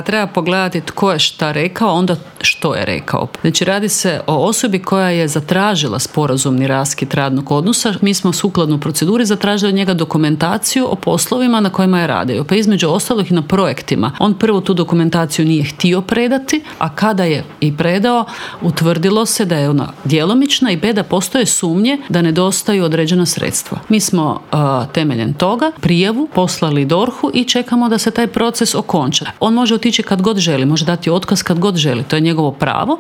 Treba pogledati tko je šta rekao, onda što je rekao. Znači radi se o osobi koja je zatražila sporazumni raskid radnog odnosa. Mi smo sukladno proceduri zatražili od njega dokumentaciju o poslovima na kojima je radio. Pa između ostalih i na projektima. On prvo tu dokumentaciju nije htio predati, a kada je i predao, utvrdilo se da je ona djelomična i b, da postoje sumnje da nedostaju određena sredstva. Mi smo temeljem toga prijavu poslali DORH-u i čekamo da se taj proces okonča. On može otići kad god želi, može dati otkaz kad god želi, to je njegovo pravo.